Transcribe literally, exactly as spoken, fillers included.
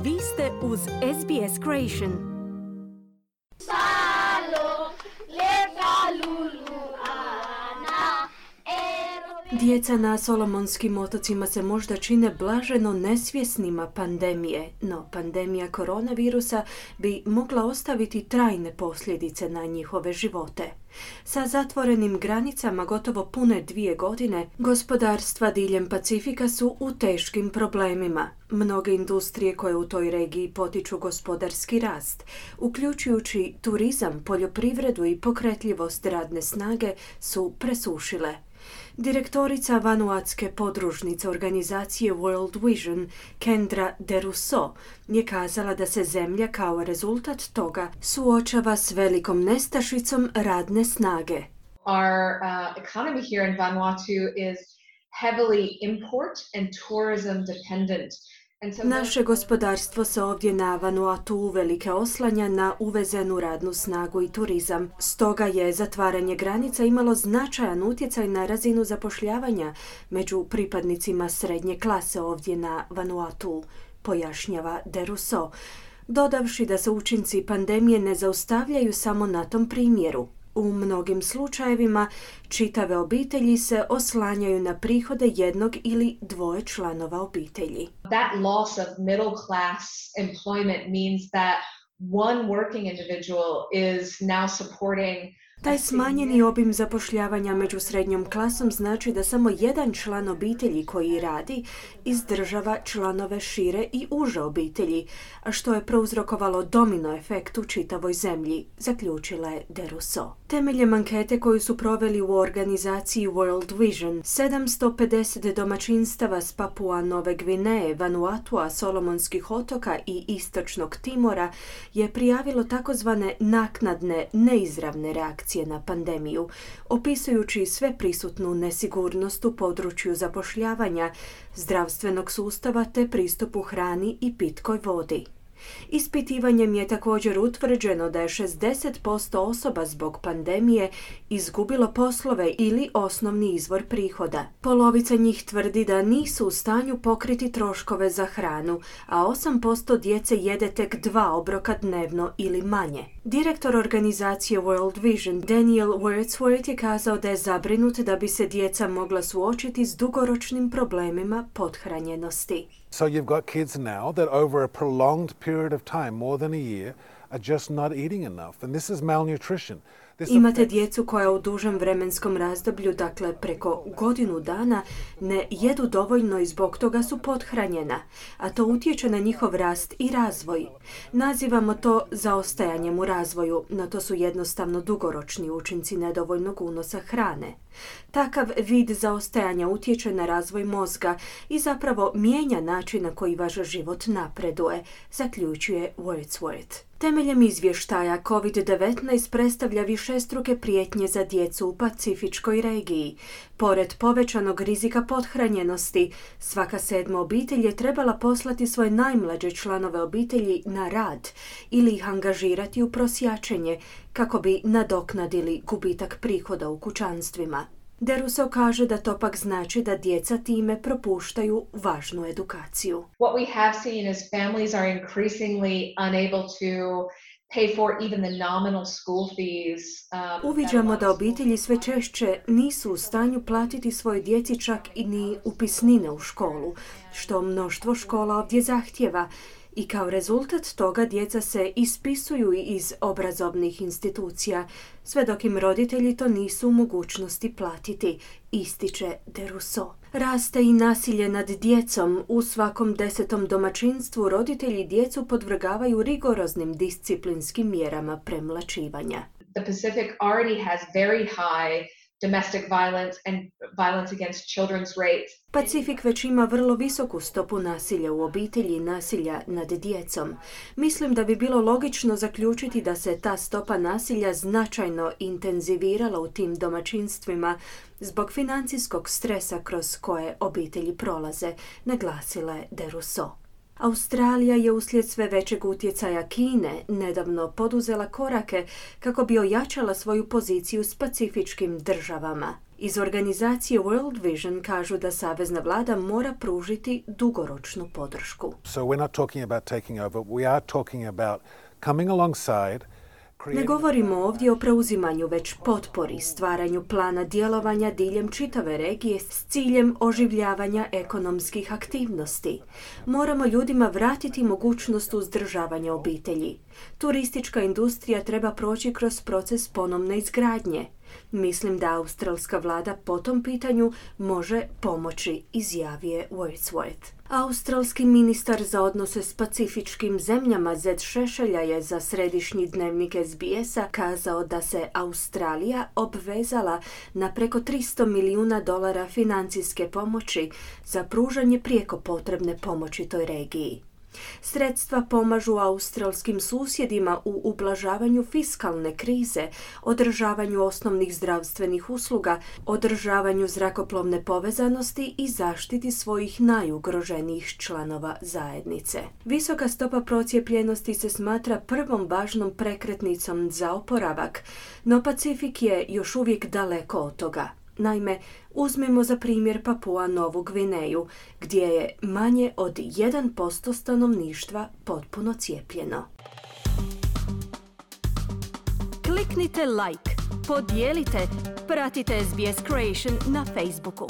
Vi ste uz S B S Creation. Djeca na Solomonskim otocima se možda čine blaženo nesvjesnima pandemije, no pandemija koronavirusa bi mogla ostaviti trajne posljedice na njihove živote. Sa zatvorenim granicama gotovo pune dvije godine, gospodarstva diljem Pacifika su u teškim problemima. Mnoge industrije koje u toj regiji potiču gospodarski rast, uključujući turizam, poljoprivredu i pokretljivost radne snage, su presušile. Direktorica vanuatske podružnice organizacije World Vision, Kendra DeRusso, je kazala da se zemlja kao rezultat toga suočava s velikom nestašicom radne snage. Our uh, economy here in Vanuatu is heavily import and tourism dependent. Naše gospodarstvo se ovdje na Vanuatu uvelike oslanja na uvezenu radnu snagu i turizam. Stoga je zatvaranje granica imalo značajan utjecaj na razinu zapošljavanja među pripadnicima srednje klase ovdje na Vanuatu, pojašnjava DeRusso, dodavši da se učinci pandemije ne zaustavljaju samo na tom primjeru. U mnogim slučajevima čitave obitelji se oslanjaju na prihode jednog ili dvoje članova obitelji. That loss of middle class employment means that one working individual is now supporting. Taj smanjeni obim zapošljavanja među srednjom klasom znači da samo jedan član obitelji koji radi izdržava članove šire i uže obitelji, a što je prouzrokovalo domino efekt u čitavoj zemlji, zaključila je DeRusso. Temeljem ankete koju su proveli u organizaciji World Vision, sedamsto pedeset domaćinstava s Papua Nove Gvineje, Vanuatua, Solomonskih otoka i Istočnog Timora je prijavilo takozvane naknadne, neizravne reakcije na pandemiju, opisujući sve prisutnu nesigurnost u području zapošljavanja, zdravstvenog sustava te pristupu hrani i pitkoj vodi. Ispitivanjem je također utvrđeno da je šezdeset posto osoba zbog pandemije izgubilo poslove ili osnovni izvor prihoda. Polovica njih tvrdi da nisu u stanju pokriti troškove za hranu, a osam posto djece jede tek dva obroka dnevno ili manje. Direktor organizacije World Vision, Daniel Wordsworth, je kazao da je zabrinut da bi se djeca mogla suočiti s dugoročnim problemima pothranjenosti. So you've got kids now that over a prolonged period of time, more than a year, are just not eating enough. And this is malnutrition. Imate djecu koja u dužem vremenskom razdoblju, dakle preko godinu dana, ne jedu dovoljno i zbog toga su pothranjena, a to utječe na njihov rast i razvoj. Nazivamo to zaostajanjem u razvoju, no to su jednostavno dugoročni učinci nedovoljnog unosa hrane. Takav vid zaostajanja utječe na razvoj mozga i zapravo mijenja način na koji vaš život napreduje, zaključuje Wordsworth. Temeljem izvještaja kovid devetnaest predstavlja višestruke prijetnje za djecu u pacifičkoj regiji. Pored povećanog rizika pothranjenosti, svaka sedma obitelj je trebala poslati svoje najmlađe članove obitelji na rad ili ih angažirati u prosjačenje kako bi nadoknadili gubitak prihoda u kućanstvima. DeRusso kaže da to pak znači da djeca time propuštaju važnu edukaciju. What we have seen is families are increasingly unable to pay for even the nominal school fees. Um, Uviđamo da obitelji sve češće nisu u stanju platiti svojoj djeci čak i ni upisnine u školu, što mnoštvo škola ovdje zahtjeva. I kao rezultat toga djeca se ispisuju iz obrazovnih institucija, sve dok im roditelji to nisu u mogućnosti platiti, ističe DeRusso. Raste i nasilje nad djecom. U svakom desetom domaćinstvu roditelji djecu podvrgavaju rigoroznim disciplinskim mjerama premlaćivanja. The Pacific already has very high domestic violence and violence against children's rates. Pacifik već ima vrlo visoku stopu nasilja u obitelji i nasilja nad djecom. Mislim da bi bilo logično zaključiti da se ta stopa nasilja značajno intenzivirala u tim domaćinstvima zbog financijskog stresa kroz koje obitelji prolaze, naglasila je DeRusso. Australija je uslijed sve većeg utjecaja Kine nedavno poduzela korake kako bi ojačala svoju poziciju s pacifičkim državama. Iz organizacije World Vision kažu da savezna vlada mora pružiti dugoročnu podršku. So we're not talking about taking over, we are talking about coming alongside. Ne govorimo ovdje o preuzimanju, već potpori, stvaranju plana djelovanja diljem čitave regije s ciljem oživljavanja ekonomskih aktivnosti. Moramo ljudima vratiti mogućnost uzdržavanja obitelji. Turistička industrija treba proći kroz proces ponovne izgradnje. Mislim da australska vlada po tom pitanju može pomoći, izjavio Wordsworth. Australski ministar za odnose s pacifičkim zemljama Zed Šešelja je za središnji dnevnik S B S-a kazao da se Australija obvezala na preko tristo milijuna dolara financijske pomoći za pružanje prijeko potrebne pomoći toj regiji. Sredstva pomažu australskim susjedima u ublažavanju fiskalne krize, održavanju osnovnih zdravstvenih usluga, održavanju zrakoplovne povezanosti i zaštiti svojih najugroženijih članova zajednice. Visoka stopa procijepljenosti se smatra prvom važnom prekretnicom za oporavak, no Pacifik je još uvijek daleko od toga. Naime, uzmimo za primjer Papua Novu Gvineju, gdje je manje od jedan posto stanovništva potpuno cijepljeno. Kliknite like, podijelite, pratite S B S Creation na Facebooku.